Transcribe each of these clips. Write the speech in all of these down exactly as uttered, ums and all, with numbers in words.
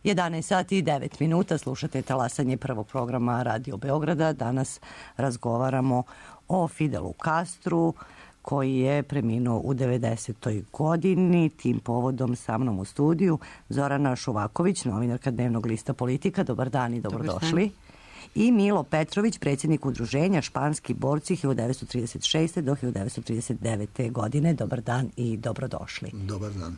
jedanaest sati i devet minuta, slušate talasanje prvog programa Radio Beograda. Danas razgovaramo o Fidelu Castru, koji je preminuo u devedesetoj godini. Tim povodom sa mnom u studiju Zorana Šuvaković, novinarka dnevnog lista Politika. Dobar dan i dobrodošli. I Milo Petrović, predsjednik udruženja Španski borci hiljadu devetsto trideset šeste do hiljadu devetsto trideset devete. godine. Dobar dan i dobrodošli. Dobar dan.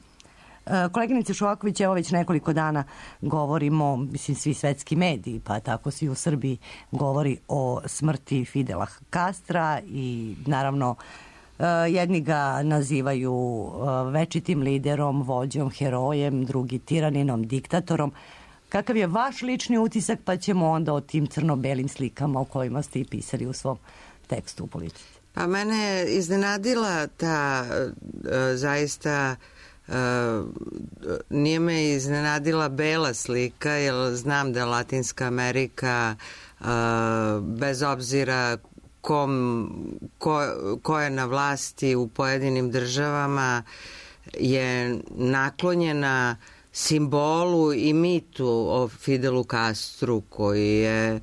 Koleginice Šuvaković, evo već nekoliko dana govorimo, mislim svi svetski mediji, pa tako svi u Srbiji govori o smrti Fidela Castra i naravno jedni ga nazivaju večitim liderom, vođom, herojem, drugi tiraninom, diktatorom. Kakav je vaš lični utisak, pa ćemo onda o tim crno-belim slikama o kojima ste i pisali u svom tekstu u Politici. Pa mene je iznenadila ta zaista, nije me iznenadila bela slika, jer znam da Latinska Amerika, bez obzira kom, ko, ko je na vlasti u pojedinim državama, je naklonjena simbolu i mitu o Fidelu Castru, koji je e,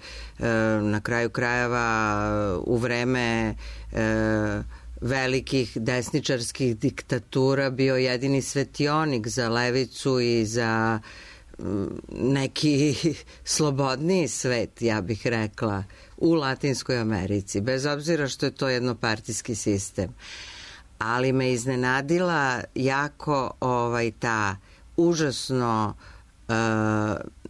na kraju krajeva u vreme e, velikih desničarskih diktatura bio jedini svetionik za levicu i za m, neki slobodniji svet, ja bih rekla, u Latinskoj Americi, bez obzira što je to jednopartijski sistem. Ali me iznenadila jako ovaj ta užasno e,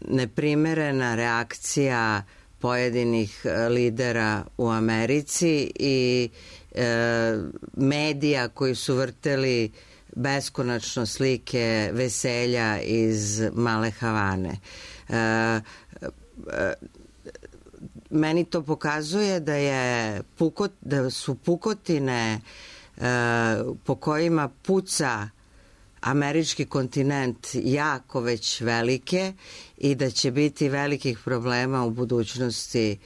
neprimerena reakcija pojedinih lidera u Americi i e, medija koji su vrteli beskonačno slike veselja iz Male Havane. E, e, meni to pokazuje da je pukot, da su pukotine e, po kojima puca američki kontinent jako već velike i da će biti velikih problema u budućnosti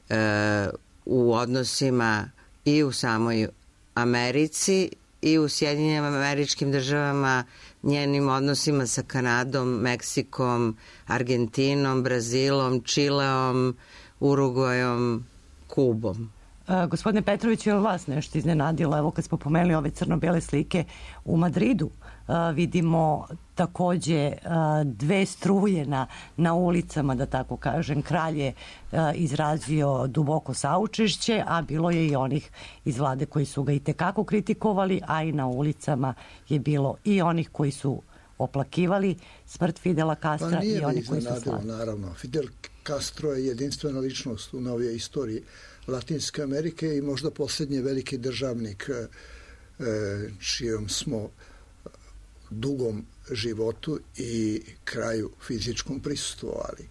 e, u odnosima i u samoj Americi i u Sjedinjenim Američkim Državama, njenim odnosima sa Kanadom, Meksikom, Argentinom, Brazilom, Čileom, Urugvajom, Kubom. Uh, gospodine Petrović, je li vas nešto iznenadilo? Evo kad smo pomenuli ove crno-bele slike u Madridu, uh, vidimo takođe uh, dve struje na, na ulicama, da tako kažem. Kralj je uh, izrazio duboko saučešće, a bilo je i onih iz vlade koji su ga i tekako kritikovali, a i na ulicama je bilo i onih koji su oplakivali smrt Fidela Castra pa i oni koji su slavili. Naravno, Fidel Castro je jedinstvena ličnost u novijoj istoriji Latinske Amerike i možda posljednji veliki državnik čijom smo dugom životu i kraju fizičkom prisustvovali.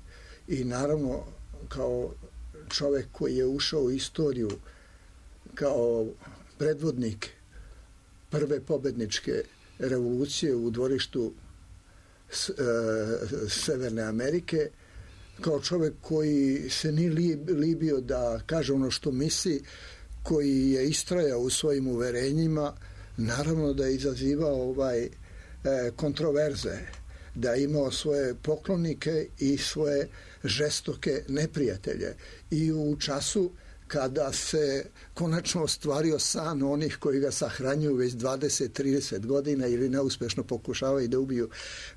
I naravno, kao čovek koji je ušao u istoriju kao predvodnik prve pobedničke revolucije u dvorištu Severne Amerike, kao čovek koji se nije libio da kaže ono što misli, koji je istrajao u svojim uverenjima, naravno da je izazivao ovaj, kontroverze, da je imao svoje poklonike i svoje žestoke neprijatelje. I u času kada se konačno ostvario san onih koji ga sahranjuju već dvadeset do trideset godina ili neuspešno pokušavaju da ubiju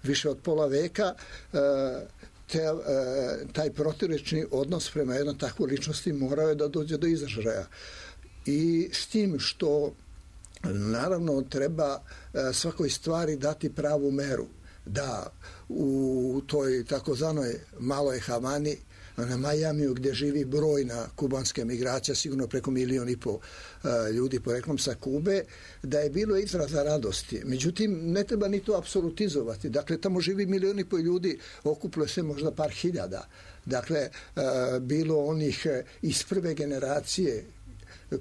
više od pola veka, Te, e, taj protivrečni odnos prema jednoj takvoj ličnosti morao je da dođe do izražaja. I s tim što naravno treba e, svakoj stvari dati pravu meru. Da u toj takozvanoj Maloj Havani, na Majamiju, gdje živi brojna kubanska migracija, sigurno preko milijon i po ljudi poreklom sa Kube, da je bilo izraza radosti. Međutim, ne treba ni to apsolutizovati. Dakle, tamo živi milijon i po ljudi, okupilo se možda par hiljada. Dakle, bilo onih iz prve generacije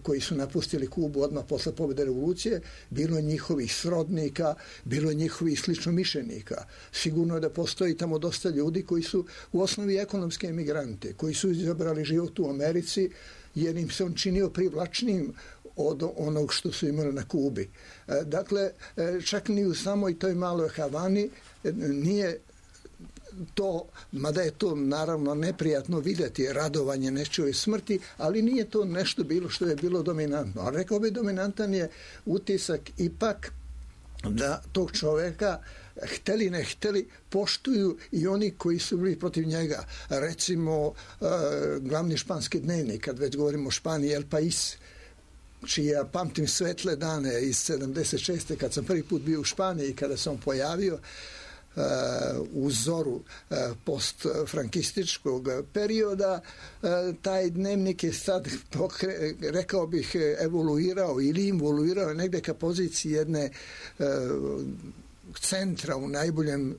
koji su napustili Kubu odmah posle pobjede revolucije, bilo njihovih srodnika, bilo njihovih sličnomišljenika. Sigurno je da postoji tamo dosta ljudi koji su u osnovi ekonomske emigrante, koji su izabrali život u Americi jer im se on činio privlačnijim od onog što su imali na Kubi. Dakle, čak ni u samoj toj Maloj Havani nije to, mada je to naravno neprijatno vidjeti, radovanje nečijoj smrti, ali nije to nešto bilo što je bilo dominantno. A rekao bi, dominantan je utisak ipak da tog čoveka, hteli ne hteli, poštuju i oni koji su bili protiv njega. Recimo, glavni španski dnevnik, kad već govorimo o Španiji, El País, čiji ja pamtim svetle dane iz sedamdeset šeste kad sam prvi put bio u Španiji, kada sam pojavio u zoru postfrankističkog perioda, taj dnevnik je sad, rekao bih, evoluirao ili involuirao negde ka poziciji jedne centra u najboljem,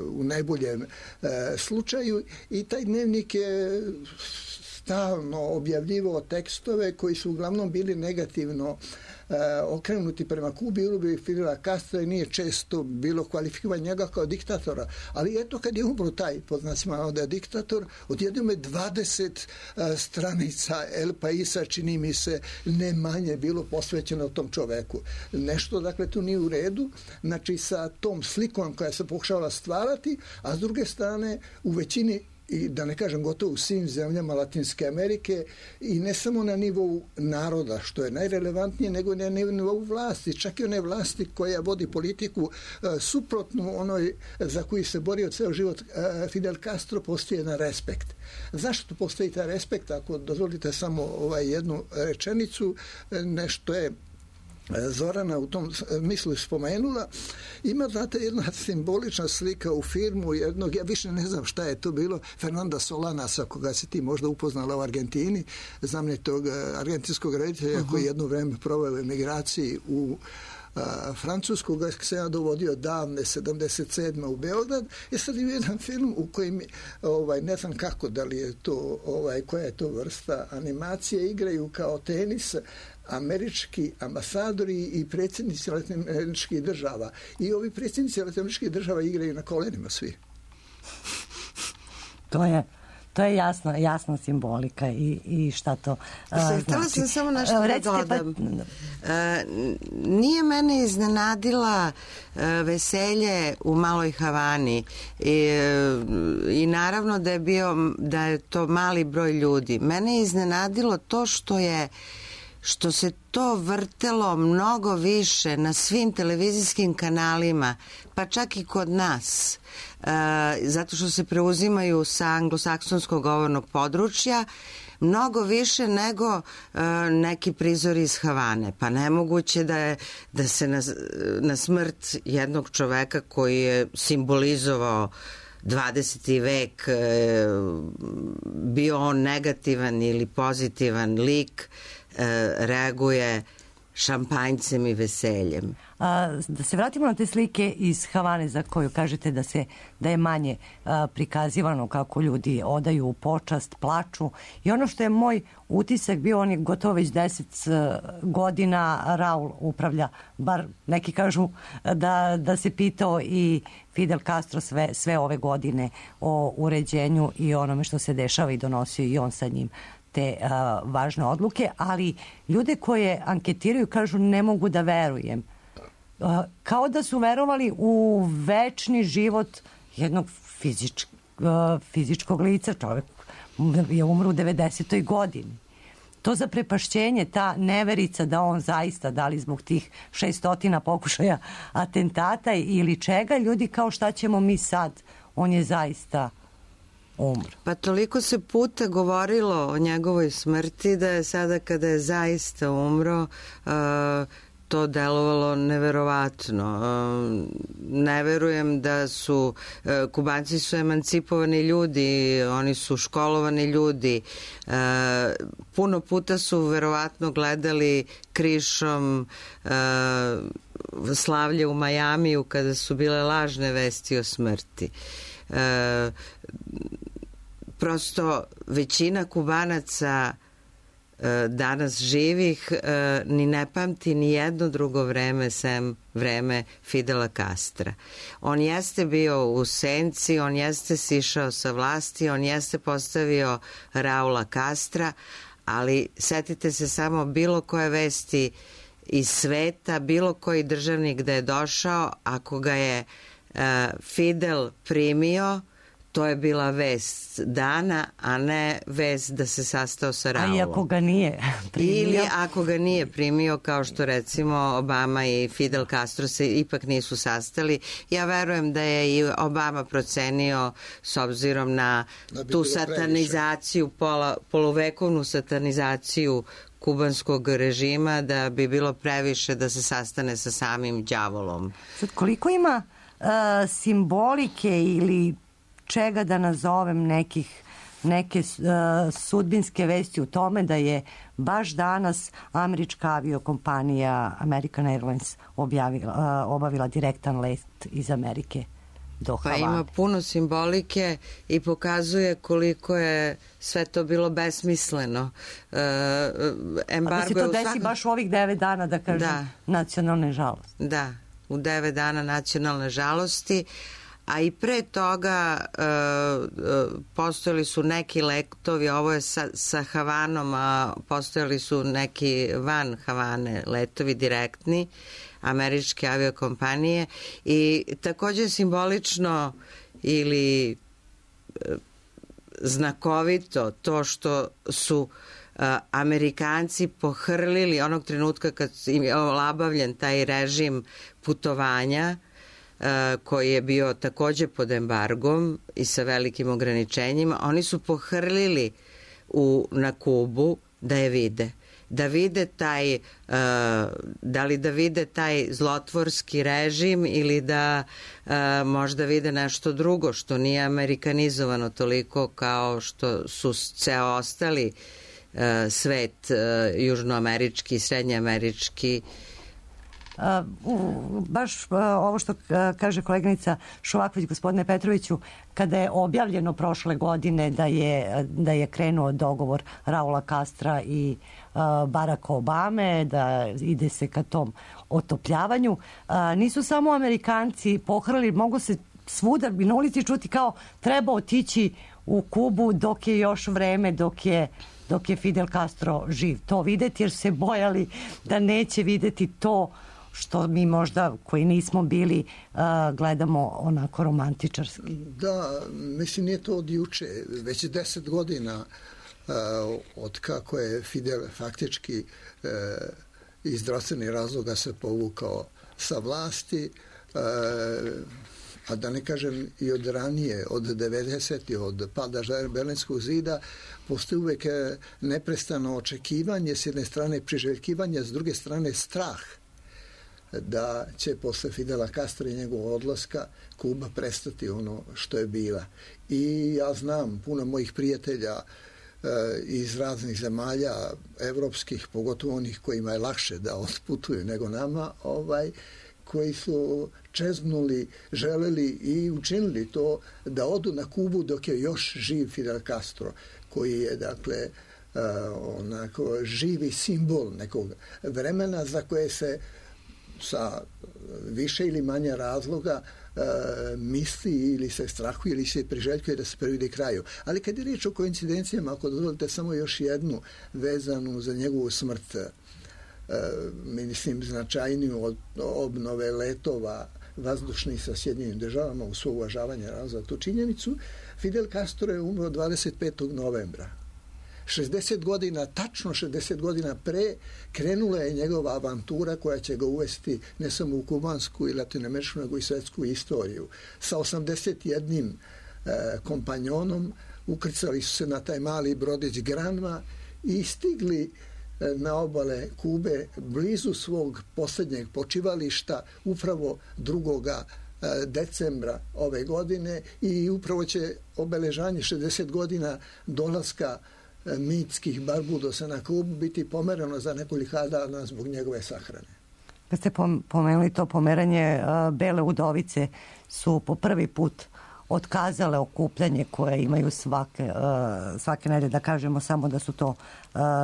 u najboljem slučaju, i taj dnevnik je stalno objavljivao tekstove koji su uglavnom bili negativno e, okrenuti prema Kubi ili Fidela Castra, i nije često bilo kvalifikovanje njega kao diktatora. Ali eto, kad je umro taj, pod znacima navoda, diktator, odjednom je dvadeset e, stranica El Paisa, čini mi se, ne manje bilo posvećeno tom čoveku. Nešto, dakle, tu nije u redu, znači sa tom slikom koja se pokušavala stvarati, a s druge strane u većini, i da ne kažem gotovo u svim zemljama Latinske Amerike, i ne samo na nivou naroda, što je najrelevantnije, nego na nivou vlasti, čak i one vlasti koja vodi politiku e, suprotnu onoj za koju se borio ceo život e, Fidel Castro, postoji jedan respekt. Zašto postoji taj respekt? Ako dozvolite samo ovaj jednu rečenicu, nešto je Zorana u tom mislu spomenula, ima, znate, jedna simbolična slika u filmu jednog, ja više ne znam šta je to bilo, Fernanda Solanasa, koga si ti možda upoznala u Argentini, znamenitog argentinskog reditelja uh-huh. koji jedno vreme proveo u emigraciji u a, Francusku, ga se ja dovodio davne sedamdeset sedme u Beograd. I sad ima jedan film u kojem, ovaj, ne znam kako, da li je to, ovaj, koja je to vrsta animacije, igraju kao tenis američki ambasadori i predsjednici latinoameričkih država. I ovi predsjednici latinoameričkih država igraju na kolenima svi. To je To je jasno, jasna simbolika i, i šta to uh, znači. Htjela sam samo nešto da dodam. Pa... Uh, nije mene iznenadila uh, veselje u Maloj Havani i, uh, i naravno da je bio, da je to mali broj ljudi. Mene je iznenadilo to što je što se to vrtelo mnogo više na svim televizijskim kanalima, pa čak i kod nas, e, zato što se preuzimaju sa anglosaksonskog govornog područja, mnogo više nego e, neki prizori iz Havane. Pa nemoguće da, je, da se na, na smrt jednog čoveka koji je simbolizovao dvadeseti vek, e, bio on negativan ili pozitivan lik, reaguje šampanjcem i veseljem. A, da se vratimo na te slike iz Havane za koju kažete da se da je manje a, prikazivano kako ljudi odaju počast, plaču, i ono što je moj utisak bio, on je gotovo već deset godina Raul upravlja, bar neki kažu da, da se pitao i Fidel Castro sve, sve ove godine o uređenju i onome što se dešava i donosio i on sa njim te a, važne odluke, ali ljude koje anketiraju kažu ne mogu da verujem. A, kao da su verovali u večni život jednog fizič, a, fizičkog lica. Čovjek je umro u devedesetoj godini. To zaprepašćenje, ta neverica da on zaista, da li zbog tih šestotina pokušaja atentata ili čega, ljudi kao šta ćemo mi sad, on je zaista umro. Pa toliko se puta govorilo o njegovoj smrti da je sada kada je zaista umro uh, to delovalo neverovatno. Uh, ne verujem da su uh, Kubanci su emancipovani ljudi, oni su školovani ljudi. Uh, puno puta su verovatno gledali krišom uh, slavlje u Majamiju kada su bile lažne vesti o smrti. Uh, prosto većina Kubanaca e, danas živih e, ni ne pamti ni jedno drugo vreme sem vreme Fidela Castra. On jeste bio u senci, on jeste sišao sa vlasti, on jeste postavio Raula Castra, ali setite se samo bilo koje vesti iz sveta, bilo koji državnik da je došao, ako ga je e, Fidel primio, to je bila vest dana, a ne vest da se sastao sa Raulom. A i ako ga nije primio? Ili ako ga nije primio, kao što recimo Obama i Fidel Castro se ipak nisu sastali. Ja verujem da je i Obama procenio, s obzirom na tu satanizaciju, pola, poluvekovnu satanizaciju kubanskog režima, da bi bilo previše da se sastane sa samim đavolom. Sad, koliko ima uh, simbolike ili čega da nazovem nekih neke uh, sudbinske vesti u tome da je baš danas američka aviokompanija American Airlines objavila, uh, obavila direktan let iz Amerike do Havane. Pa ima puno simbolike i pokazuje koliko je sve to bilo besmisleno. Uh, embargo A da se to desi svakom... baš u ovih devet dana, da kažem, da. nacionalne žalosti. Da, u devet dana nacionalne žalosti. A i pre toga uh, postojali su neki letovi, ovo je sa, sa Havanom, a postojali su neki van Havane letovi direktni američke aviokompanije i takođe simbolično ili uh, znakovito to što su uh, Amerikanci pohrlili onog trenutka kad im je olabavljen taj režim putovanja, koji je bio takođe pod embargom i sa velikim ograničenjima, oni su pohrlili u, na Kubu da je vide. Da vide taj, uh, da li da vide taj zlotvorski režim ili da uh, možda vide nešto drugo što nije amerikanizovano toliko kao što su ceo ostali uh, svet uh, južnoamerički i srednjeamerički. Uh, baš uh, ovo što uh, kaže koleginica Šovaković, gospodine Petroviću, kada je objavljeno prošle godine da je, da je krenuo dogovor Raula Castra i uh, Baracka Obame, da ide se ka tom otopljavanju, uh, nisu samo Amerikanci pohrali, mogu se svuda na ulici čuti kao treba otići u Kubu dok je još vreme, dok je dok je Fidel Castro živ. To videti jer su se bojali da neće videti to što mi možda, koji nismo bili, uh, gledamo onako romantičarski. Da, mislim, nije to od juče. Već deset godina uh, od kako je Fidel faktički uh, iz zdravstvenih razloga se povukao sa vlasti, uh, a da ne kažem i od ranije, od devedesetih, od pada Berlinskog zida, postoji uvek neprestano očekivanje, s jedne strane priželjkivanje, s druge strane strah da će posle Fidela Castra i njegovog odlaska Kuba prestati ono što je bila. I ja znam puno mojih prijatelja e, iz raznih zemalja, evropskih, pogotovo onih kojima je lakše da otputuju nego nama, ovaj, koji su čeznuli, želeli i učinili to da odu na Kubu dok je još živ Fidel Castro, koji je, dakle, uh, onako živi simbol nekog vremena za koje se sa više ili manje razloga uh, misli ili se strahuje ili se priželjkuje da se prividi kraju. Ali kad je riječ o koincidencijama, ako dozvolite samo još jednu vezanu za njegovu smrt, uh, mislim značajniju od obnove letova vazdušnih sa Sjedinjenim državama u svo uvažavanje za tu činjenicu, Fidel Castro je umro dvadeset petog novembra. šezdeset godina, tačno šezdeset godina pre, krenula je njegova avantura koja će ga uvesti ne samo u kubansku i latinoameričku, nego i svetsku istoriju. Sa osamdeset jednim e, kompanjonom ukrcali su se na taj mali brodić Granma i stigli e, na obale Kube blizu svog posljednjeg počivališta upravo drugoga decembra ove godine i upravo će obeležanje šezdeset godina dolaska mitskih Barbudosa na Kubu biti pomerano za nekoliko dana zbog njegove sahrane. Kad ste pomenuli to pomeranje, Bele udovice su po prvi put otkazale okupljanje koje imaju svake, svake nedelje, da kažemo samo da su to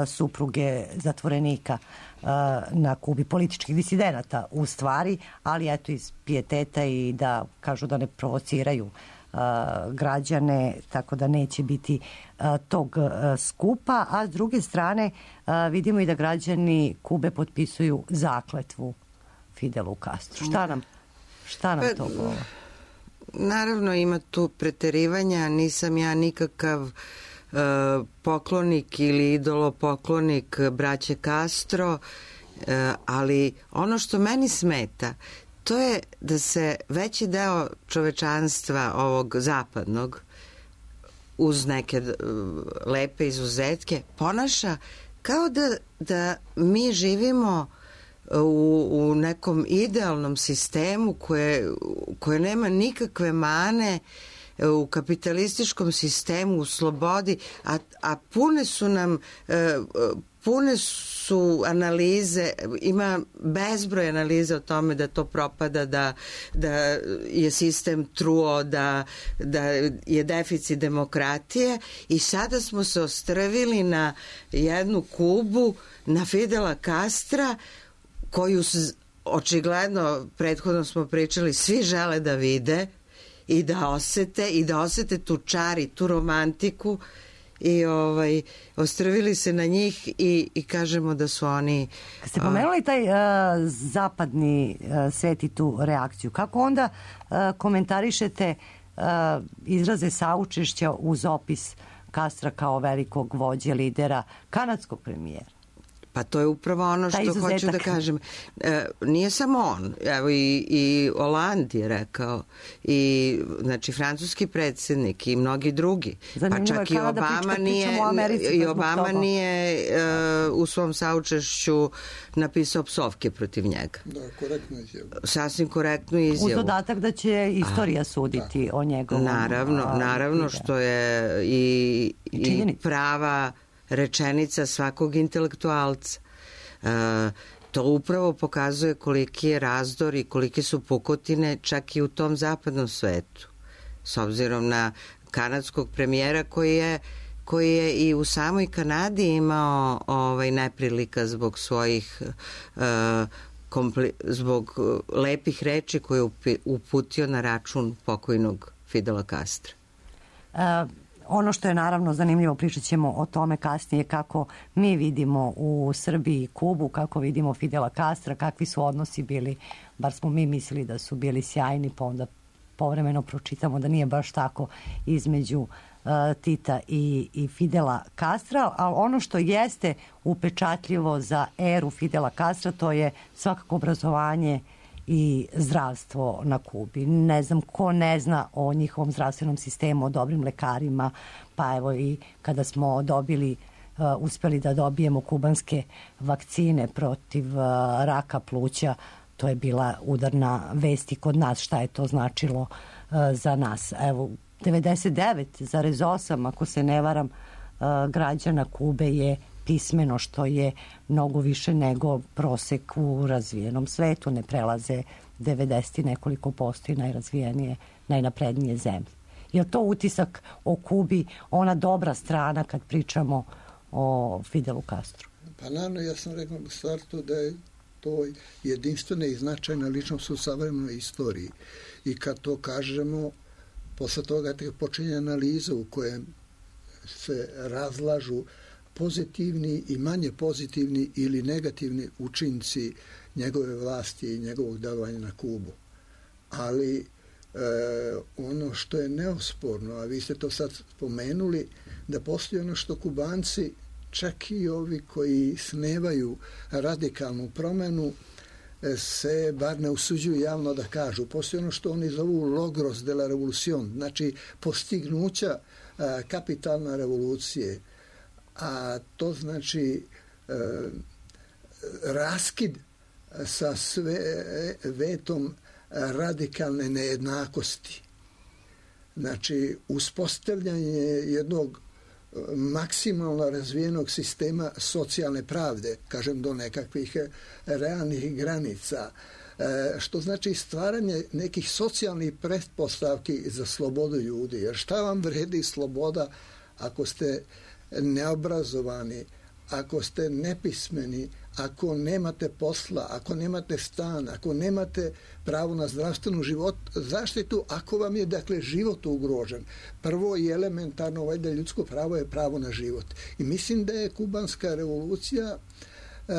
supruge zatvorenika na Kubi, političkih disidenata u stvari, ali eto iz pijeteta i da kažu da ne provociraju građane, tako da neće biti tog skupa, a s druge strane vidimo i da građani Kube potpisuju zakletvu Fidelu Castru. Šta nam, šta nam to govori? naravno ima tu preterivanja, nisam ja nikakav uh, poklonik ili idolopoklonik braće Castro, uh, ali ono što meni smeta, to je da se veći deo čovečanstva ovog zapadnog, uz neke uh, lepe izuzetke, ponaša kao da, da mi živimo u, u nekom idealnom sistemu koje, koje nema nikakve mane, u kapitalističkom sistemu, u slobodi, a, a pune su nam pune su analize, ima bezbroj analiza o tome da to propada, da, da je sistem truo, da, da je deficit demokratije, i sada smo se ostrvili na jednu Kubu, na Fidela Castra, koju očigledno, prethodno smo pričali, svi žele da vide i da osete, i da osete tu čar i tu romantiku, i ovaj, ostrvili se na njih i, i kažemo da su oni... Kad ste pomenuli taj uh, zapadni uh, svet i tu reakciju, kako onda uh, komentarišete uh, izraze saučešća uz opis Castra kao velikog vođe, lidera kanadskog premijera? Pa to je upravo ono što hoću da kažem. E, nije samo on, evo i, i Hollande je rekao, i znači francuski predsjednik i mnogi drugi. Zanimljivo, pa čak i Obama nije, i Obama nije e, u svom saučešću napisao psovke protiv njega. Da, korektnu izjavu. Sasvim korektnu izjavu. Uz dodatak da će istorija a, suditi da. o njegovom... Naravno, a, naravno što je i, i, i prava rečenica svakog intelektualca. E, to upravo pokazuje koliki je razdor i kolike su pukotine čak i u tom zapadnom svetu. S obzirom na kanadskog premijera koji je, koji je i u samoj Kanadi imao ovaj, neprilika zbog svojih e, kompli, zbog lepih reči koje je uputio na račun pokojnog Fidela Castra. Uh, Ono što je naravno zanimljivo, pričat ćemo o tome kasnije, kako mi vidimo u Srbiji Kubu, kako vidimo Fidela Castra, kakvi su odnosi bili, bar smo mi mislili da su bili sjajni, pa onda povremeno pročitamo da nije baš tako između uh, Tita i, i Fidela Castra, ali ono što jeste upečatljivo za eru Fidela Castra, to je svakako obrazovanje i zdravstvo na Kubi. Ne znam ko ne zna o njihovom zdravstvenom sistemu, o dobrim lekarima, pa evo i kada smo dobili, uh, uspeli da dobijemo kubanske vakcine protiv uh, raka pluća, to je bila udarna vest i kod nas, šta je to značilo uh, za nas. Evo, devedeset devet zarez osam, ako se ne varam, uh, građana Kube je pismeno, što je mnogo više nego prosek u razvijenom svetu. Ne prelaze devedeset i nekoliko posto i najrazvijenije, najnaprednije zemlje. Je to utisak o Kubi, ona dobra strana kad pričamo o Fidelu Castru? Pa naravno, ja sam rekao u startu da je to jedinstvena i značajna ličnost u savremenoj istoriji. I kad to kažemo, posle toga te počinje analiza u kojem se razlažu pozitivni i manje pozitivni ili negativni učinci njegove vlasti i njegovog delovanja na Kubu. Ali e, ono što je neosporno, a vi ste to sad spomenuli, da postoji ono što Kubanci, čak i ovi koji snevaju radikalnu promenu, se bar ne usuđuju javno da kažu. Postoji ono što oni zovu logros de la revolucion, znači postignuća a, kapitalne revolucije, a to znači e, raskid sa svetom radikalne nejednakosti. Znači, uspostavljanje jednog maksimalno razvijenog sistema socijalne pravde, kažem do nekakvih realnih granica, što znači stvaranje nekih socijalnih pretpostavki za slobodu ljudi. Jer šta vam vredi sloboda ako ste neobrazovani, ako ste nepismeni, ako nemate posla, ako nemate stan, ako nemate pravo na zdravstvenu život, zaštitu, ako vam je, dakle, život ugrožen. Prvo i elementarno, valjda, ljudsko pravo je pravo na život. I mislim da je kubanska revolucija e,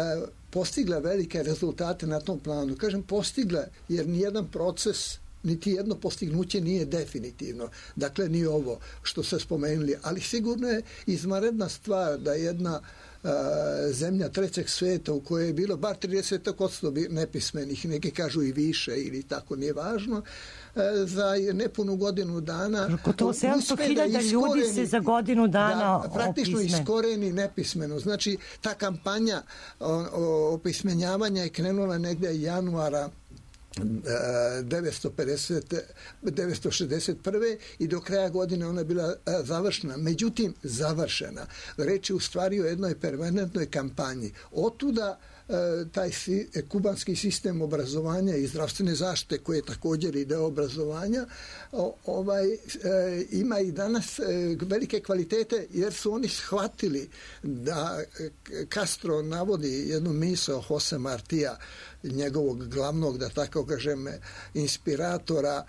postigla velike rezultate na tom planu. Kažem postigla, jer nijedan proces niti jedno postignuće nije definitivno. Dakle, ni ovo što ste spomenuli, ali sigurno je izvanredna stvar da jedna zemlja trećeg sveta u kojoj je bilo bar trideset posto nepismenih, neki kažu i više ili tako, nije važno, za nepunu godinu dana gotovo sedamsto hiljada ljudi se za godinu dana da, praktično opisme. iskoreni nepismeno. Znači, ta kampanja opismenjavanja je krenula negde januara devetsto šezdeset prve i do kraja godine ona je bila završena. Međutim, završena. Reč je u stvari o jednoj permanentnoj kampanji. Otuda taj kubanski sistem obrazovanja i zdravstvene zaštite, koji je također i deo obrazovanja, ovaj, ima i danas velike kvalitete, jer su oni shvatili da Castro navodi jednu misao Jose Martija, njegovog glavnog, da tako kažem, inspiratora,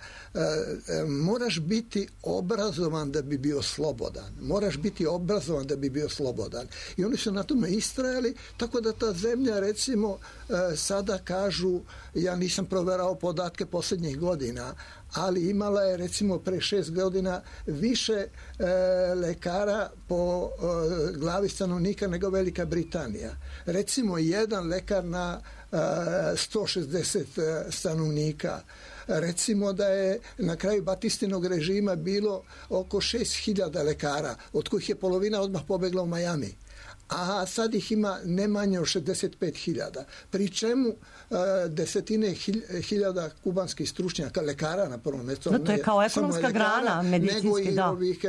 moraš biti obrazovan da bi bio slobodan. Moraš biti obrazovan da bi bio slobodan. I oni su na tome istrajali, tako da ta zemlja, recimo, sada kažu, ja nisam proverao podatke posljednjih godina, ali imala je, recimo, pre šest godina više e, lekara po e, glavi stanovnika nego Velika Britanija. Recimo, jedan lekar na e, sto šezdeset stanovnika. Recimo da je na kraju Batistinog režima bilo oko šest hiljada lekara, od kojih je polovina odmah pobegla u Miami. A sad ih ima ne manje od šezdeset pet hiljada. Pri čemu uh, desetine hiljada kubanskih stručnjaka, lekara na prvom mjestu. No, to je kao ekonomska lekara, grana medicinski, nego i da. ovih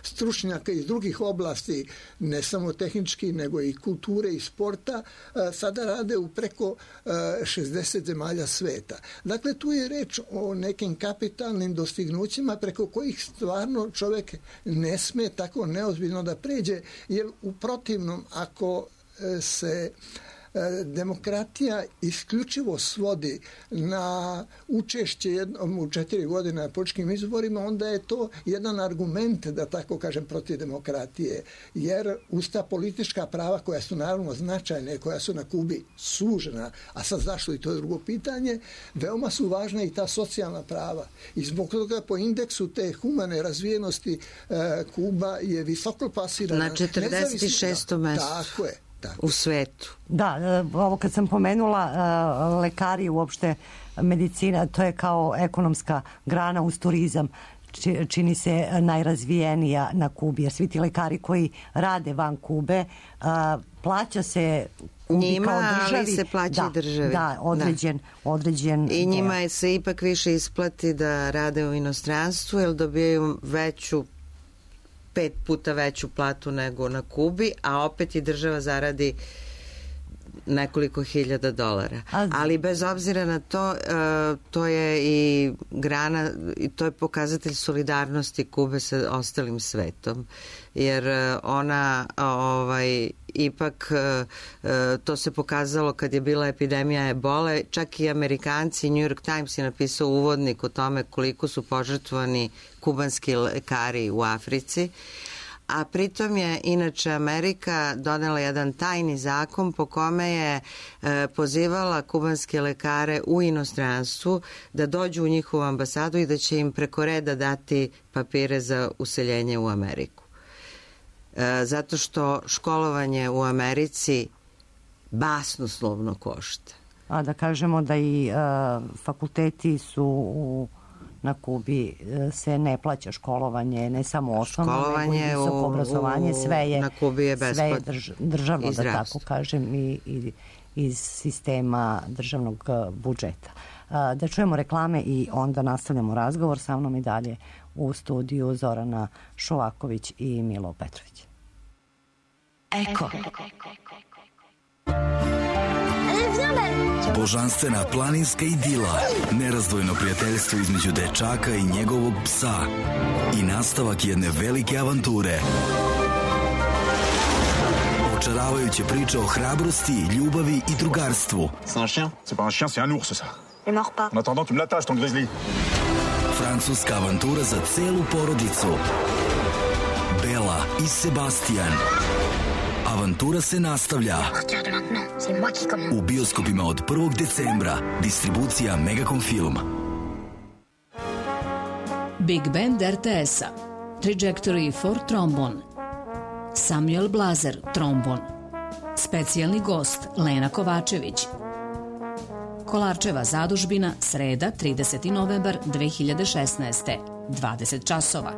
stručnjaka iz drugih oblasti, ne samo tehnički, nego i kulture i sporta, uh, sada rade u preko uh, šezdeset zemalja sveta. Dakle, tu je reč o nekim kapitalnim dostignućima preko kojih stvarno čovjek ne sme tako neozbiljno da pređe, jer u protivnom, ako se demokratija isključivo svodi na učešće jednom u četiri godine na političkim izborima, onda je to jedan argument, da tako kažem, protiv demokratije. Jer uz ta politička prava, koja su naravno značajne, koja su na Kubi sužena, a sad zašto, i to je drugo pitanje, veoma su važna i ta socijalna prava. I zbog toga po indeksu te humane razvijenosti Kuba je visoko plasirana. Na četrdeset šestom mestu. Tako je. Tako. U svetu. Da, ovo kad sam pomenula, lekari, uopšte medicina, to je kao ekonomska grana uz turizam, čini se najrazvijenija na Kubi, jer svi ti lekari koji rade van Kube, plaća se Kubi njima, kao državi. Ali se plaća da, i državi. Da, određen, da. određen I njima je se ipak više isplati da rade u inostranstvu, jer dobijaju veću pet puta veću platu nego na Kubi, a opet i država zaradi nekoliko hiljada dolara. Ali bez obzira na to, to je i grana, i to je pokazatelj solidarnosti Kube sa ostalim svetom, jer ona ovaj, ipak to se pokazalo kad je bila epidemija ebole, čak i Amerikanci, New York Times je napisao uvodnik o tome koliko su požrtvovani kubanski lekari u Africi, a pritom je inače Amerika donela jedan tajni zakon po kome je e, pozivala kubanske lekare u inostranstvu da dođu u njihovu ambasadu i da će im preko reda dati papire za useljenje u Ameriku. E, zato što školovanje u Americi basnoslovno košta. A da kažemo da i e, fakulteti su u na Kubi se ne plaća školovanje, ne samo osnovno, školovanje, nego i visoko obrazovanje, sve je, na Kubi je sve je drž, državno, da tako kažem, i, i iz sistema državnog budžeta. Da čujemo reklame i onda nastavljamo razgovor. Sa mnom i dalje u studiju Zorana Šovaković i Milo Petrović. Eko. Božanstvena planinska idila, nerazdvojno prijateljstvo između dečaka i njegovog psa i nastavak jedne velike avanture. Očaravajuće priče o hrabrosti, ljubavi i drugarstvu. C'est un chien? C'est pas un chien, c'est un ours, ça. Ne mords pas. En attendant, tu me l'attaches, ton grizzly. Francuska avantura za celu porodicu. Bela i Sebastian. Avantura se nastavlja. U bioskopima od prvog decembra. Distribucija Megacom Film. Big Band R T S-a, Trajectory for Trombon, Samuel Blazer, trombon, specijalni gost Lena Kovačević. Kolarčeva zadužbina, sreda, trideseti novembar dve hiljade šesnaeste, dvadeset časova.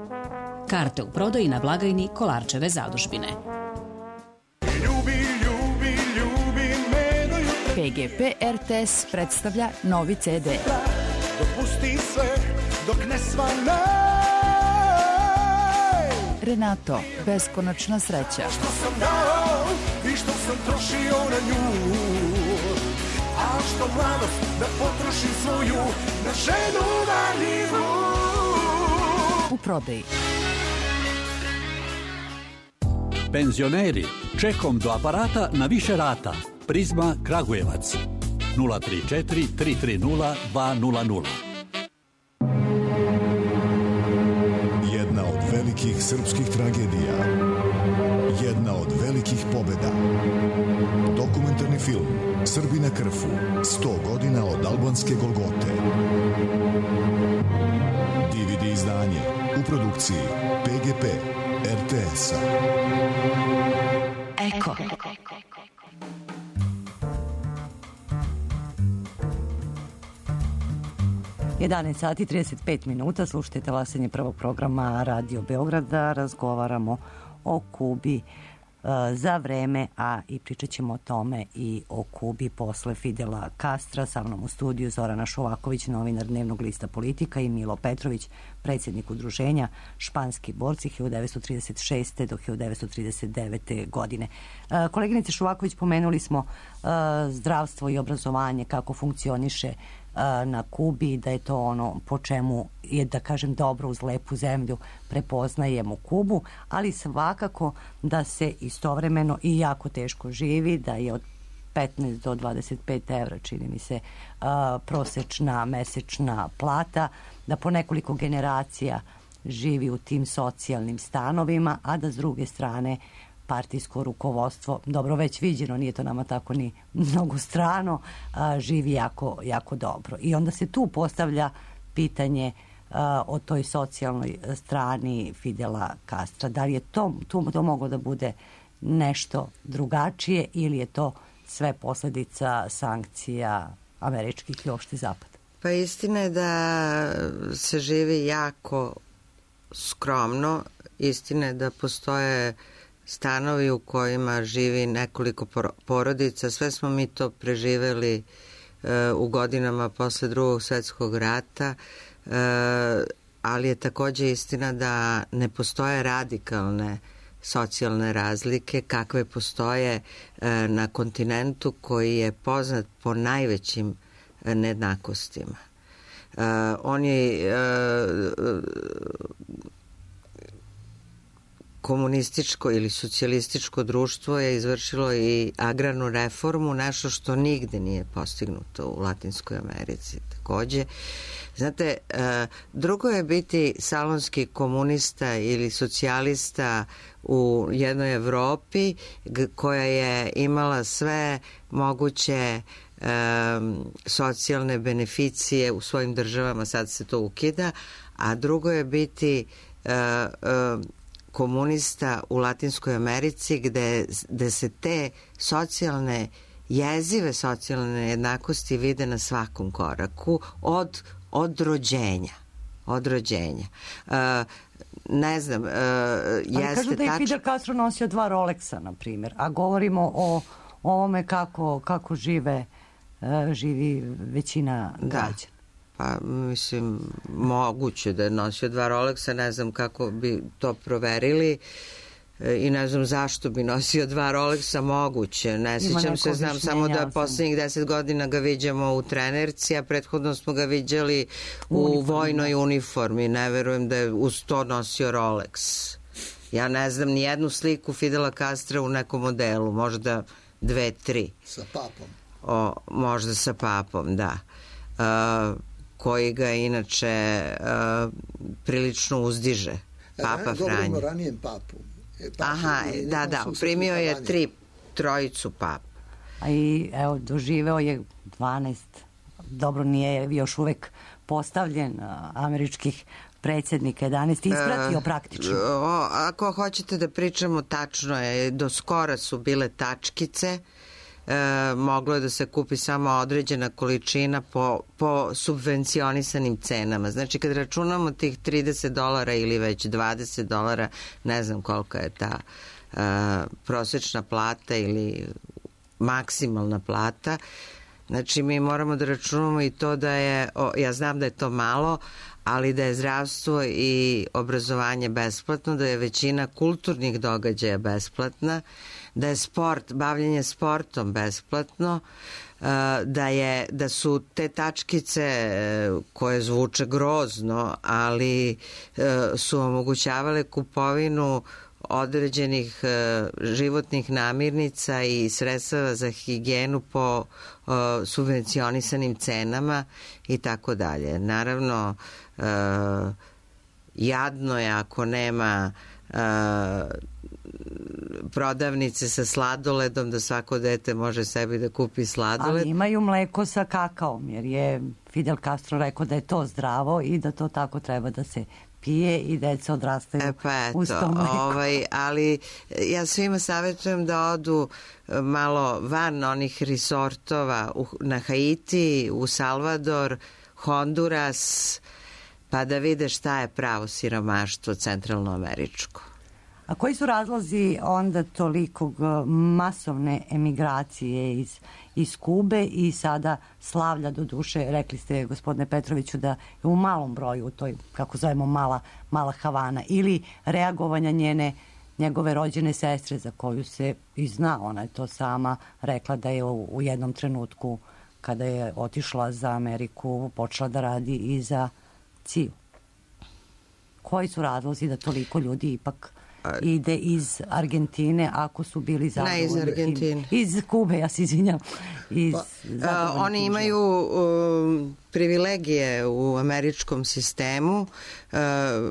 Karte u prodaji na blagajni Kolarčeve zadužbine. P G P R T S predstavlja novi C D. Dopusti sve dok ne svane. Renato, beskonačna sreća. Što sam dao i što sam trošio na nju, a što mladost da potrošim svoju na ženu varljivu. U prodaji. Penzioneri, čekom do aparata na više rata. Prizma Kragujevac nula tri četiri tri tri nula dva nula nula. Jedna od velikih srpskih tragedija. Jedna od velikih pobeda. Dokumentarni film Srbi na Krfu. sto godina od albanske Golgote. D V D izdanje u produkciji P G P R T S-a. Eko. jedanaest sati i trideset pet minuta, slušajte talasanje prvog programa Radio Beograda, razgovaramo o Kubi za vreme, a i pričat ćemo o tome i o Kubi posle Fidela Castra. Sa mnom u studiju Zorana Šovaković, novinar Dnevnog lista Politika, i Milo Petrović, predsjednik udruženja Španski borci hiljadu devetsto trideset šeste do hiljadu devetsto trideset devete. godine. Koleginice Šovaković, pomenuli smo zdravstvo i obrazovanje, kako funkcioniše na Kubi, da je to ono po čemu je, da kažem, dobro uz lepu zemlju prepoznajemo Kubu, ali svakako da se istovremeno i jako teško živi, da je od petnaest do dvadeset pet evra, čini mi se, prosečna mesečna plata, da po nekoliko generacija živi u tim socijalnim stanovima, a da s druge strane partijsko rukovodstvo, dobro već viđeno, nije to nama tako ni mnogo strano, a, živi jako, jako dobro. I onda se tu postavlja pitanje a, o toj socijalnoj strani Fidela Castra. Da li je to, tu to moglo da bude nešto drugačije ili je to sve posljedica sankcija američkih i opšte zapada? Pa istina je da se živi jako skromno. Istina je da postoje stanovi u kojima živi nekoliko porodica. Sve smo mi to preživeli e, u godinama posle Drugog svjetskog rata, e, ali je takođe istina da ne postoje radikalne socijalne razlike kakve postoje e, na kontinentu koji je poznat po najvećim e, nejednakostima. E, on je e, komunističko ili socijalističko društvo je izvršilo i agrarnu reformu, nešto što nigde nije postignuto u Latinskoj Americi takođe. Znate, drugo je biti salonski komunista ili socijalista u jednoj Evropi koja je imala sve moguće um, socijalne beneficije u svojim državama, sad se to ukida, a drugo je biti uh, uh, komunista u Latinskoj Americi gde, gde se te socijalne, jezive socijalne jednakosti vide na svakom koraku od, od rođenja. Od rođenja. Uh, ne znam, uh, jeste ali kažu da je tač... Fidel Castro nosio dva Rolexa, na primjer, a govorimo o ovome kako, kako žive, uh, živi većina građana. Da. Pa, mislim, moguće da je nosio dva Rolexa, ne znam kako bi to proverili i ne znam zašto bi nosio dva Rolexa, moguće. Ne sjećam se, znam samo da poslednjih deset godina ga viđamo u trenerci, a prethodno smo ga viđali u uniformi, vojnoj uniformi. Ne verujem da je uz to nosio Rolex. Ja ne znam ni jednu sliku Fidela Castra u nekom modelu, možda dve, tri. Sa papom. O, možda sa papom, da. Uh, koji ga inače uh, prilično uzdiže. Papa Franjo. Govorimo o ranijem papu. E, papu Aha, da, da, primio je tri, trojicu papa. A i, evo, doživeo je dvanaest, dobro, nije još uvek postavljen, američkih predsjednika jedanaesti ispratio praktično? O, ako hoćete da pričamo, tačno je, do skora su bile tačkice, e, moglo je da se kupi samo određena količina po, po subvencionisanim cenama. Znači, kad računamo tih trideset dolara ili već dvadeset dolara, ne znam kolika je ta e, prosječna plata ili maksimalna plata, znači mi moramo da računamo i to da je, o, ja znam da je to malo, ali da je zdravstvo i obrazovanje besplatno, da je većina kulturnih događaja besplatna, da je sport, bavljenje sportom besplatno, da, je, da su te tačkice koje zvuče grozno, ali su omogućavale kupovinu određenih životnih namirnica i sredstava za higijenu po subvencionisanim cenama i tako dalje. Naravno, jadno je ako nema prodavnice sa sladoledom, da svako dete može sebi da kupi sladoled. Ali imaju mleko sa kakaom, jer je Fidel Castro rekao da je to zdravo i da to tako treba da se pije i deca odrastaju e pa eto, uz to mleko. Ovaj, ali ja svima savjetujem da odu malo van onih resortova u, na Haiti, u Salvador, Honduras, pa da vide šta je pravo siromaštvo centralnoameričko. A koji su razlozi onda tolikog masovne emigracije iz, iz Kube i sada slavlja, do duše, rekli ste gospodine Petroviću da je u malom broju u toj, kako zovemo, mala, mala Havana, ili reagovanja njene, njegove rođene sestre za koju se i zna, ona je to sama rekla da je u, u jednom trenutku kada je otišla za Ameriku počela da radi i za C I U. Koji su razlozi da toliko ljudi ipak ide iz Argentine ako su bili zadovoljni? Ne iz Argentine. Iz Kube, ja se izvinjam. Iz pa, oni imaju um, privilegije u američkom sistemu. Uh,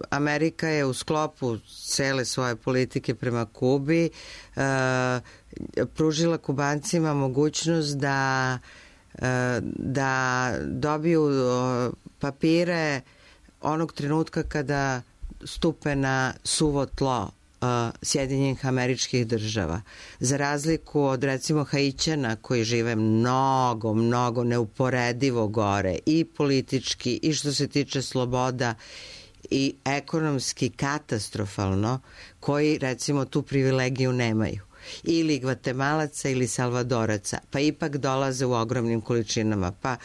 Amerika je u sklopu cele svoje politike prema Kubi uh, pružila Kubancima mogućnost da, uh, da dobiju uh, papire onog trenutka kada stupe na suvo tlo Sjedinjenih Američkih Država. Za razliku od recimo Haićana koji žive mnogo, mnogo neuporedivo gore i politički i što se tiče sloboda i ekonomski katastrofalno, koji recimo tu privilegiju nemaju. Ili Gvatemalaca ili Salvadoraca, pa ipak dolaze u ogromnim količinama. Pa uh,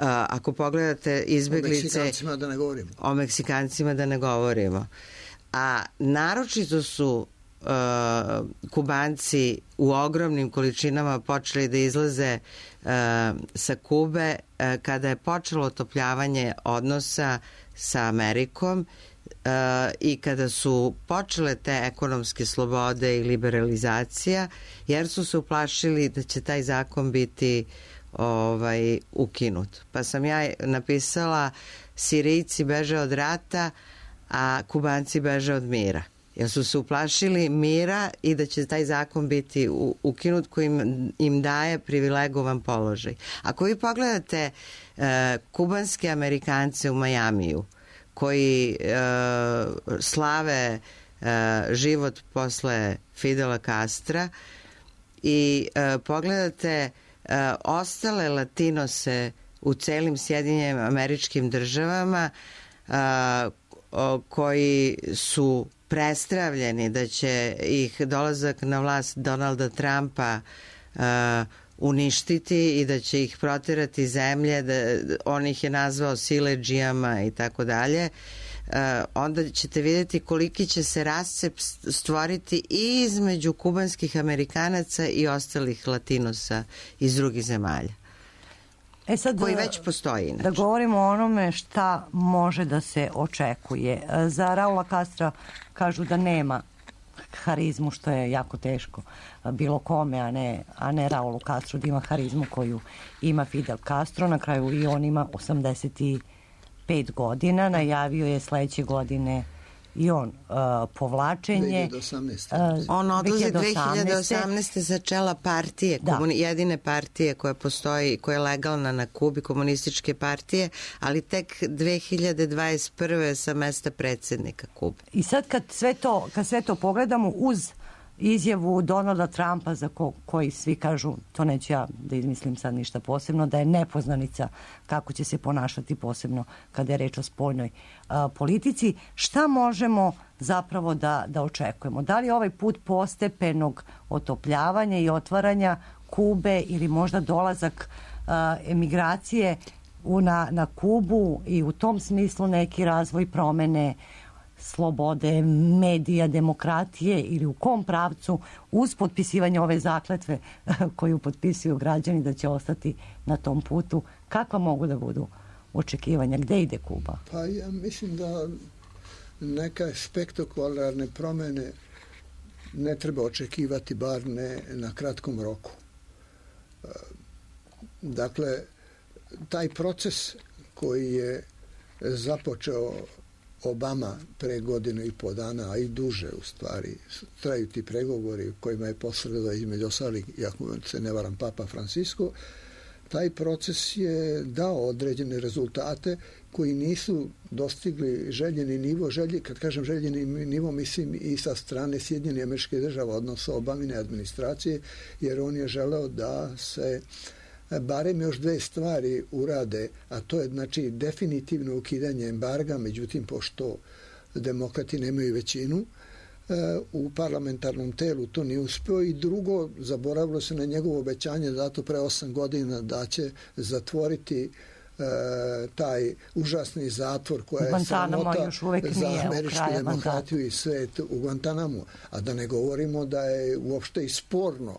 ako pogledate izbeglice... O Meksikancima da ne govorimo. O Meksikancima da ne govorimo. A naročito su uh, Kubanci u ogromnim količinama počeli da izlaze uh, sa Kube uh, kada je počelo otopljavanje odnosa sa Amerikom uh, i kada su počele te ekonomske slobode i liberalizacija, jer su se uplašili da će taj zakon biti ovaj, ukinut. Pa sam ja napisala Sirijci beže od rata, a Kubanci beže od mira. Jer su se uplašili mira i da će taj zakon biti ukinut koji im, im daje privilegovan položaj. Ako vi pogledate e, kubanske Amerikance u Majamiju koji e, slave e, život posle Fidela Castra i e, pogledate e, ostale latinose u celim Sjedinjenim Američkim Državama e, koji su prestravljeni da će ih dolazak na vlast Donalda Trumpa uh, uništiti i da će ih proterati zemlje, da, on ih je nazvao siledžijama i tako dalje, onda ćete vidjeti koliki će se rascep stvoriti i između kubanskih Amerikanaca i ostalih Latinosa iz drugih zemalja. E sad, koji već postoji inače. Da govorimo o onome šta može da se očekuje. Za Raula Castra kažu da nema harizmu, što je jako teško bilo kome, a ne, a ne Raulu Castru da ima harizmu koju ima Fidel Castro. Na kraju i on ima osamdeset pet godina, najavio je sledeće godine i on uh, povlačenje. dve hiljade osamnaeste. Uh, on odlazi dve hiljade osamnaeste za čela partije, komuni, jedine partije koja postoji, koja je legalna na Kubi, komunističke partije, ali tek dve hiljade dvadeset prve sa mesta predsjednika Kube. I sad kad sve to, kad sve to pogledamo uz izjavu Donalda Trumpa za ko, koji svi kažu, to neću ja da izmislim sad ništa posebno, da je nepoznanica kako će se ponašati posebno kada je reč o spoljnoj a, politici. Šta možemo zapravo da, da očekujemo? Da li je ovaj put postepenog otopljavanja i otvaranja Kube ili možda dolazak a, emigracije u, na, na Kubu i u tom smislu neki razvoj promene slobode, medija, demokratije ili u kom pravcu uz potpisivanje ove zakletve koju potpisuju građani da će ostati na tom putu, kakva mogu da budu očekivanja? Gde ide Kuba? Pa ja mislim da neka spektakularne promene ne treba očekivati, bar ne na kratkom roku. Dakle, taj proces koji je započeo Obama pre godinu i po dana, a i duže u stvari, traju ti pregovori kojima je posredovao između ostalih, ako se ne varam, Papa Francisco, taj proces je dao određene rezultate koji nisu dostigli željeni nivo. Želje, kad kažem željeni nivo, mislim i sa strane Sjedinjenih Američkih Država, odnosno Obamine administracije, jer on je želeo da se barem još dve stvari urade, a to je znači definitivno ukidanje embarga, međutim pošto demokrati nemaju većinu u parlamentarnom telu, to nije uspeo, i drugo, zaboravilo se na njegovo obećanje dato pre osam godina da će zatvoriti e, taj užasni zatvor koja je sramota za američku demokratiju i svet u Guantanamu, a da ne govorimo da je uopšte i sporno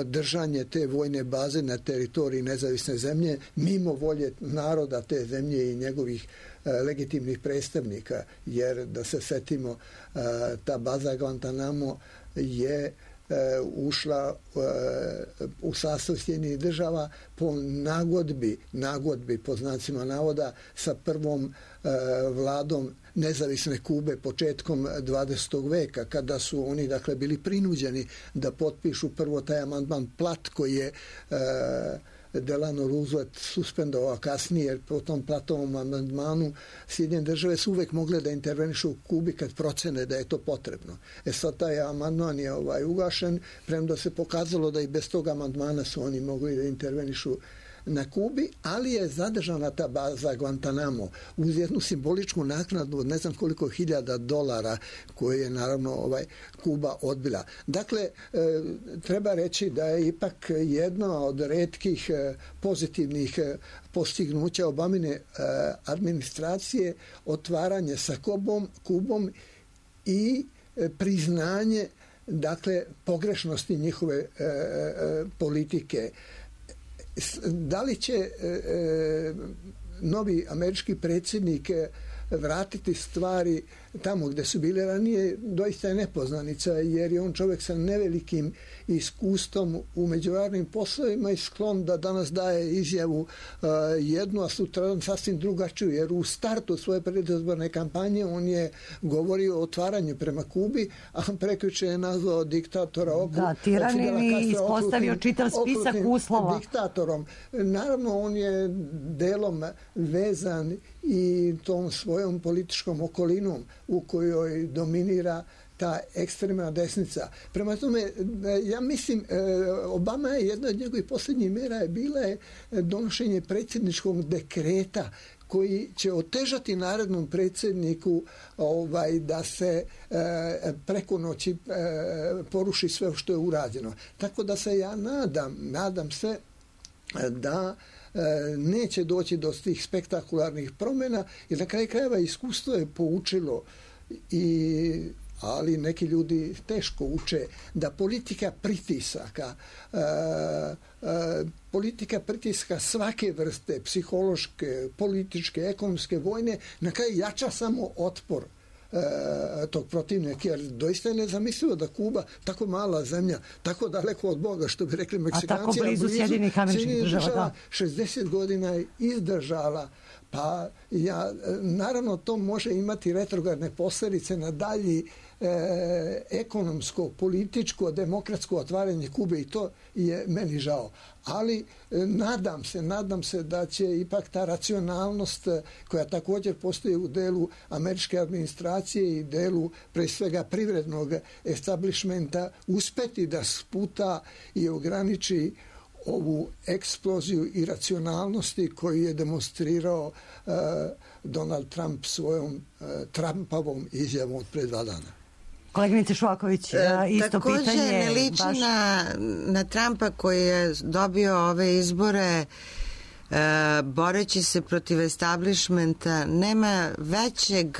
držanje te vojne baze na teritoriji nezavisne zemlje mimo volje naroda te zemlje i njegovih e, legitimnih predstavnika, jer da se setimo, e, ta baza Guantanamo je e, ušla e, u sastav Sjedinjenih Država po nagodbi, nagodbi po znacima navoda sa prvom e, vladom nezavisne Kube početkom dvadesetog veka, kada su oni dakle bili prinuđeni da potpišu prvo taj amandman Platt koji je e, Delano Roosevelt suspendovao, a kasnije, jer po tom Platovom amandmanu Sjedinjene Države su uvek mogle da intervenišu u Kubi kad procene da je to potrebno. E sad taj amandman je ovaj, ugašen, premda se pokazalo da i bez tog amandmana su oni mogli da intervenišu na Kubi, ali je zadržana ta baza Guantanamo uz jednu simboličku naknadu od ne znam koliko hiljada dolara koje je naravno ovaj Kuba odbila. Dakle, e, treba reći da je ipak jedna od retkih e, pozitivnih e, postignuća Obamine e, administracije otvaranje sa Kubom, Kubom i e, priznanje dakle pogrešnosti njihove e, e, politike. Da li će e, e, novi američki predsjednik vratiti stvari tamo gde su bile ranije, doista je nepoznanica, jer je on čovjek sa nevelikim iskustvom u međunarodnim poslovima i sklon da danas daje izjavu uh, jednu, a sutra sasvim drugačiju, jer u startu svoje predizborne kampanje on je govorio o otvaranju prema Kubi, a prekjuče je nazvao diktatora okru, da, tiranin i ispostavio čitav spisak uslova. Diktatorom. Naravno, on je delom vezan i tom svojom političkom okolinom u kojoj dominira ta ekstremna desnica. Prema tome, ja mislim, Obama je jedna od njegovih posljednjih mera je bila je donošenje predsjedničkog dekreta koji će otežati narednom predsjedniku ovaj, da se e, preko noći e, poruši sve što je urađeno. Tako da se ja nadam, nadam se da neće doći do tih spektakularnih promjena, jer na kraju krajeva iskustvo je poučilo, i, ali neki ljudi teško uče, da politika pritisaka, e, e, politika pritiska svake vrste, psihološke, političke, ekonomske, vojne, na kraju jača samo otpor E, tog protivnika, jer doista je nezamislivo da Kuba, tako mala zemlja, tako daleko od Boga, što bi rekli Meksikanci, a tako blizu Sjedinjenih Američkih Država, šezdeset godina je izdržala Pa ja, naravno to može imati retrogradne posledice na dalji e, ekonomsko, političko, demokratsko otvaranje Kube i to je meni žao. Ali e, nadam se, nadam se da će ipak ta racionalnost koja također postoji u delu američke administracije i delu pre svega privrednog establishmenta uspeti da sputa i ograniči ovu eksploziju iracionalnosti koju je demonstrirao uh, Donald Trump svojom uh, Trumpavom izjavom od pre dva dana. Koleginice Švaković, e, isto takođe pitanje. Takođe ne liči baš... na, na Trumpa koji je dobio ove izbore e, boreći se protiv establishmenta. Nema većeg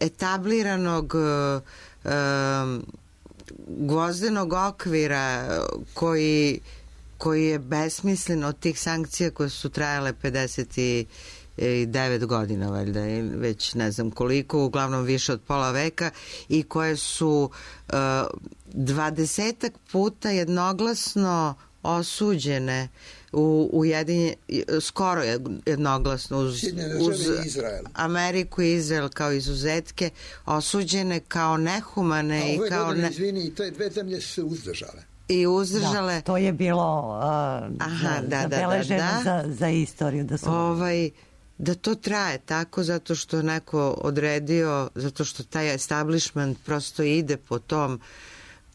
etabliranog e, gvozdenog okvira koji koji je besmislen od tih sankcija koje su trajale pedeset devet godina, valjda, već ne znam koliko, uglavnom više od pola veka, i koje su uh, dvadesetak puta jednoglasno osuđene u ujedinje, skoro jednoglasno uz, uz Ameriku i Izrael kao izuzetke, osuđene kao nehumane. A ove i kao godine, ne... izvini, i te dve zemlje su se uzdržale. I uzdržale. Da, to je bilo uh, Aha, da, zabeleženo da, da, da. Za, za istoriju. Da, su... ovaj, da to traje tako zato što neko odredio, zato što taj establishment prosto ide po tom,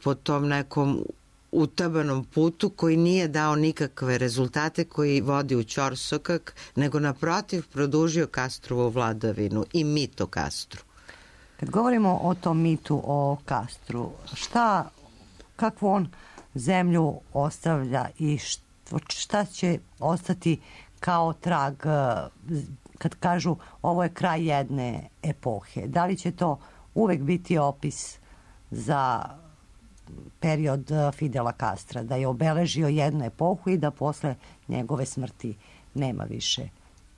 po tom nekom utabanom putu koji nije dao nikakve rezultate, koji vodi u ćorsokak, nego naprotiv produžio Castrovu vladavinu i mito Castru. Kad govorimo o tom mitu o Castru, šta, kakvu on zemlju ostavlja i šta će ostati kao trag kad kažu ovo je kraj jedne epohe? Da li će to uvek biti opis za period Fidela Castra, da je obeležio jednu epohu i da posle njegove smrti nema više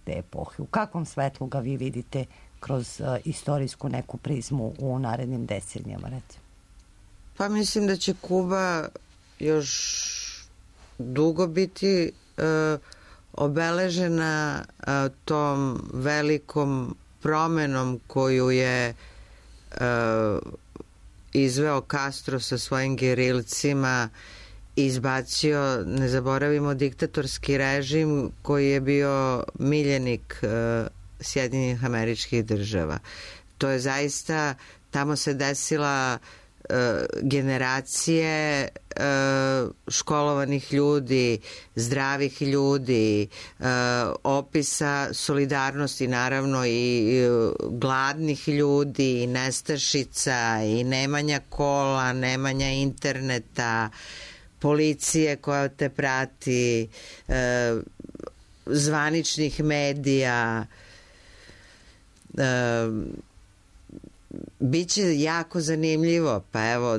te epohe? U kakvom svetlu ga vi vidite kroz istorijsku neku prizmu u narednim decenijama, recimo? Pa mislim da će Kuba još dugo biti uh, obeležena uh, tom velikom promenom koju je uh, izveo Castro sa svojim gerilcima, izbacio, ne zaboravimo, diktatorski režim koji je bio miljenik uh, Sjedinjenih Američkih Država. To je zaista, tamo se desila generacije školovanih ljudi, zdravih ljudi, opisa solidarnosti, naravno i gladnih ljudi, i nestašica, i nemanja kola, nemanja interneta, policije koja te prati, zvaničnih medija. Biće jako zanimljivo, pa evo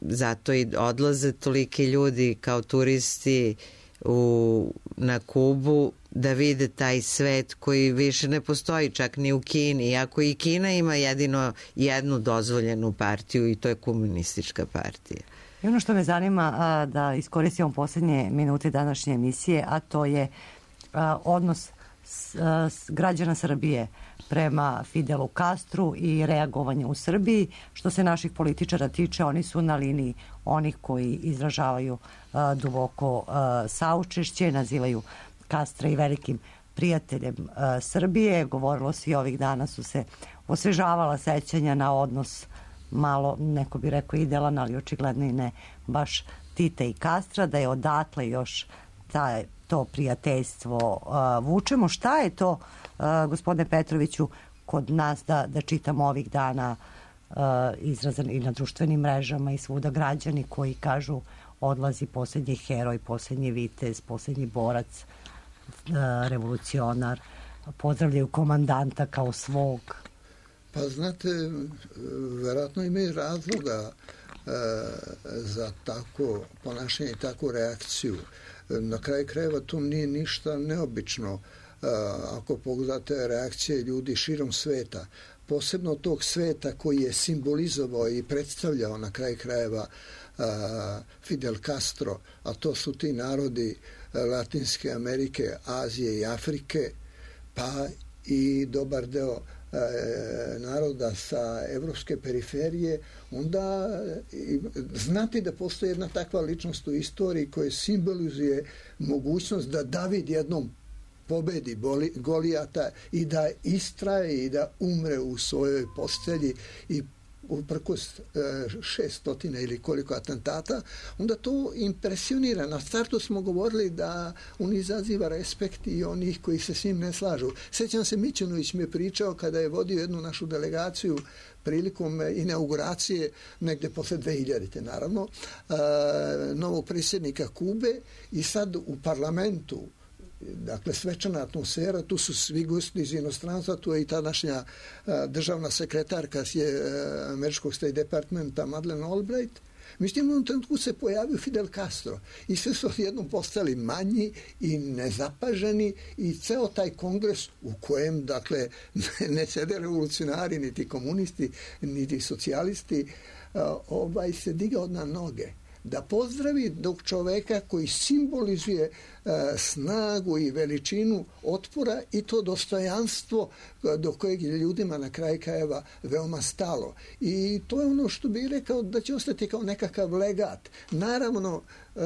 zato i odlaze toliki ljudi kao turisti u, na Kubu da vide taj svet koji više ne postoji čak ni u Kini, iako i Kina ima jedino jednu dozvoljenu partiju i to je komunistička partija. I ono što me zanima a, da iskoristimo poslednje minute današnje emisije, a to je a, odnos s, a, s građana Srbije prema Fidelu Castru i reagovanje u Srbiji. Što se naših političara tiče, oni su na liniji onih koji izražavaju uh, duboko uh, saučešće, nazivaju Castra i velikim prijateljem uh, Srbije. Govorilo se i ovih dana su se osvežavala sećanja na odnos malo, neko bi rekao idealan, ali očigledno i ne baš Tita i Castra, da je odatle još taj, to prijateljstvo uh, vučemo. Šta je to, uh, gospodine Petroviću, kod nas da, da čitamo ovih dana uh, izrazan i na društvenim mrežama i svuda građani koji kažu odlazi poslednji heroj, poslednji vitez, poslednji borac, uh, revolucionar, pozdravljaju komandanta kao svog? Pa znate, verovatno imaju razloga e, za tako ponašanje i takvu reakciju. Na kraju krajeva tu nije ništa neobično. E, ako pogledate reakcije ljudi širom sveta, posebno tog sveta koji je simbolizovao i predstavljao na kraju krajeva e, Fidel Castro, a to su ti narodi Latinske Amerike, Azije i Afrike, pa i dobar deo naroda sa evropske periferije, onda znati da postoji jedna takva ličnost u istoriji koja simbolizuje mogućnost da David jednom pobedi Golijata i da istraje i da umre u svojoj postelji i uprkos šestotina ili koliko atentata, onda to impresionira. Na startu smo govorili da on izaziva respekt i onih koji se s njim ne slažu. Sjećam se, Mićunović mi je pričao kada je vodio jednu našu delegaciju prilikom inauguracije, negde posle dve hiljadite naravno, novog predsjednika Kube, i sad u parlamentu, dakle svečana atmosfera, tu su svi gosti iz inostranstva, tu je i tadašnja državna sekretarka američkog State Departmenta Madeleine Albright. Mislim, u jednom trenutku se pojavio Fidel Castro i sve su jednom postali manji i nezapaženi i ceo taj kongres u kojem, dakle, ne sede revolucionari, niti komunisti, niti socijalisti, ovaj se digao na noge da pozdravi dok čoveka koji simbolizuje e, snagu i veličinu otpora i to dostojanstvo do kojeg je ljudima na kraju krajeva veoma stalo. I to je ono što bih rekao da će ostati kao nekakav legat. Naravno, e,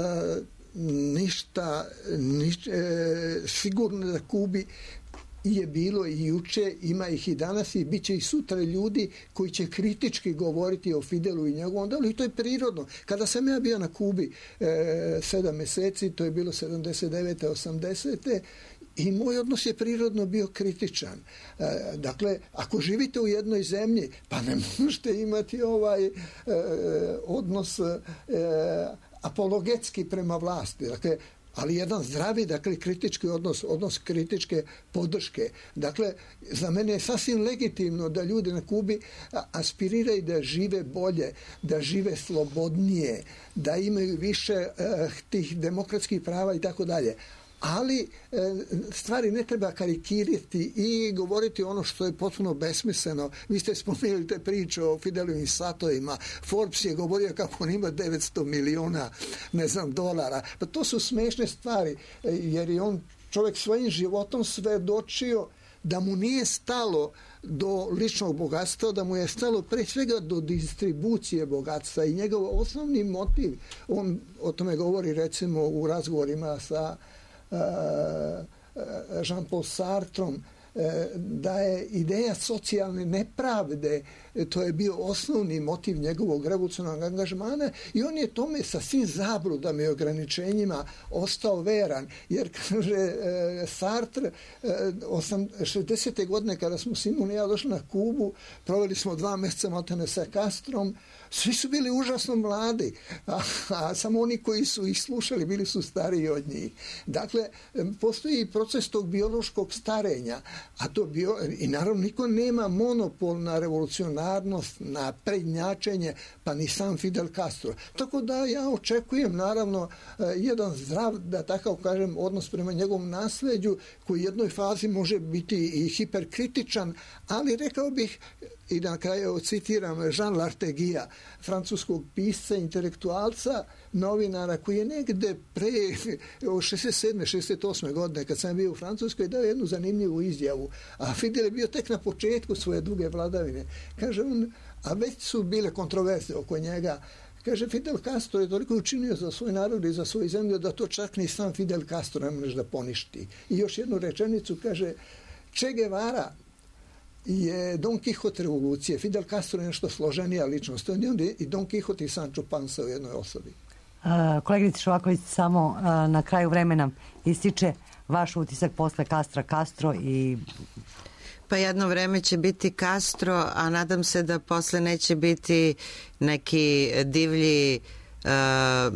ništa, ništa e, sigurno da Kubi je bilo i juče, ima ih i danas i bit će i sutra ljudi koji će kritički govoriti o Fidelu i njegovom delu i to je prirodno. Kada sam ja bio na Kubi e, sedam meseci, to je bilo sedamdeset devete osamdesete i moj odnos je prirodno bio kritičan. E, dakle, ako živite u jednoj zemlji, pa ne možete imati ovaj e, odnos e, apologetski prema vlasti. Dakle, ali jedan zdravi, dakle, kritički odnos, odnos kritičke podrške. Dakle, za mene je sasvim legitimno da ljudi na Kubi aspiriraju da žive bolje, da žive slobodnije, da imaju više uh, tih demokratskih prava i tako dalje. Ali stvari ne treba karikirati i govoriti ono što je potpuno besmisleno. Vi ste spomenuli te priče o Fidelovim satovima. Forbes je govorio kako on ima devetsto miliona, ne znam, dolara. Pa to su smešne stvari, jer je on čovjek svojim životom svedočio da mu nije stalo do ličnog bogatstva, da mu je stalo pre svega do distribucije bogatstva i njegov osnovni motiv, on o tome govori recimo u razgovorima sa Jean-Paul Sartrom, da je ideja socijalne nepravde, to je bio osnovni motiv njegovog revolucionarnog angažmana i on je tome sa svim zabludama i ograničenjima ostao veran, jer kaže Sartre, šezdesete godine kada smo Simon i ja došli na Kubu, proveli smo dva mjeseca maltene sa Castrom, svi su bili užasno mladi, a, a samo oni koji su ih slušali bili su stariji od njih. Dakle, postoji proces tog biološkog starenja, a to bio, i naravno niko nema monopol na revolucionarnost, na prednjačenje, pa ni sam Fidel Castro. Tako da ja očekujem naravno jedan zdrav, da tako kažem, odnos prema njegovom nasleđu, koji u jednoj fazi može biti i hiperkritičan, ali rekao bih, i na kraju citiram Jean Larteguija, francuskog pisca, intelektualca, novinara koji je negde pre šezdeset sedme šezdeset osme godine kad sam bio u Francuskoj dao jednu zanimljivu izjavu, a Fidel je bio tek na početku svoje duge vladavine. Kaže on, a već su bile kontroverze oko njega, kaže, Fidel Castro je toliko učinio za svoj narod i za svoju zemlju da to čak ni sam Fidel Castro ne može da poništi. I još jednu rečenicu kaže, Che Guevara je Don Quixote revolucije. Fidel Castro je nešto složenija ličnost. On je i Don Quixote i Sancho Panza u jednoj osobi. Uh, kolegice Šovaković, samo uh, na kraju vremena ističe vaš utisak posle Castra Castro i... Pa jedno vreme će biti Castro, a nadam se da posle neće biti neki divlji uh,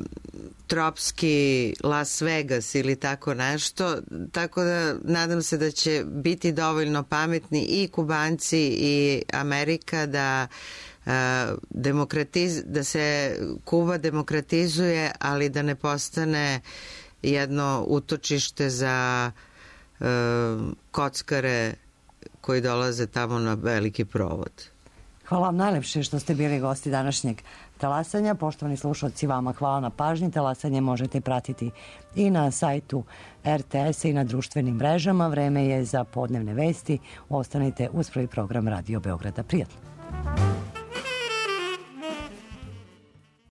tropski Las Vegas ili tako nešto, tako da nadam se da će biti dovoljno pametni i Kubanci i Amerika da uh, demokratiz, da se Kuba demokratizuje, ali da ne postane jedno utočište za uh, kockare koji dolaze tamo na veliki provod. Hvala vam najlepše što ste bili gosti današnjeg talasanja. Poštovani slušalci, vama hvala na pažnji. Talasanje možete pratiti i na sajtu er te es i na društvenim mrežama. Vreme je za podnevne vesti. Ostanite uz prvi program Radio Beograda. Prijatno.